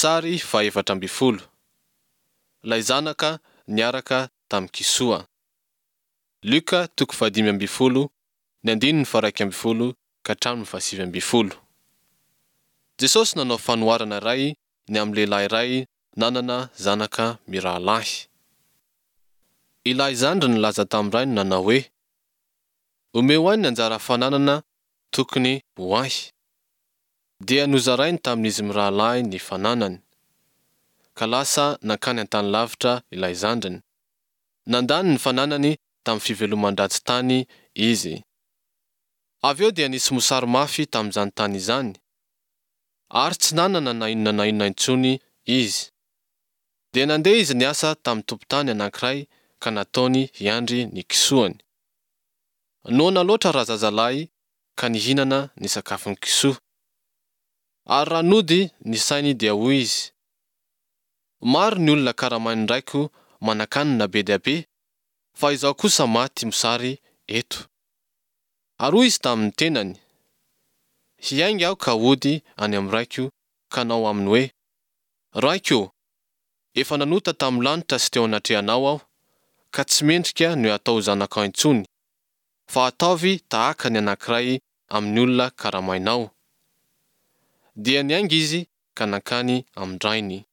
Sary faha 14. Ilay zanaka niaraka tamin'ny kisoa. Lioka toko faha-15, ny andininy faha-11 ka hatramin'ny faha-19. Jesosy nanao fanoharana iray ny amin'ny lehilahy iray nanana zanaka mirahalahy. Ilay zandriny nilaza tamin'ny rainy nanao hoe, Omeo ahy ny anjara fananana tokony ho ahy. Dia nozarainy tamin'izy mirahalahy ny fananany. Ka lasa nankany an-tany lavitra ilay zandriny. Nandany ny fananany tamin'ny fiveloman-dratsy tany izy. Avy eo dia nisy mosary mafy tamin'izany tany izany. Ary tsy nanana na inona na inona intsony izy. Dia nandeha izy niasa tamin'ny tompon-tany anankiray ka nataony hiandry ny kisoany. Noana loatra razazalahy ka nihinana ny sakafon'ny kisoa. Ary raha nody ny sainy dia hoy izy, Maro ny olona karamain'ny raiko manan-kanina be dia be, fa izaho kosa maty mosary eto. Ary hoy izy tamin'ny tenany, Hiainga aho ka hody any amin'ny raiko ka hanao aminy hoe, Raiko ô, efa nanota tamin'ny lanitra sy teo anatrehanao aho, ka tsy mendrika ny hatao ho zanakao intsony, fa ataovy tahaka ny anankiray amin'ny olona karamainao. Dia niainga izy ka nankany amin-drainy.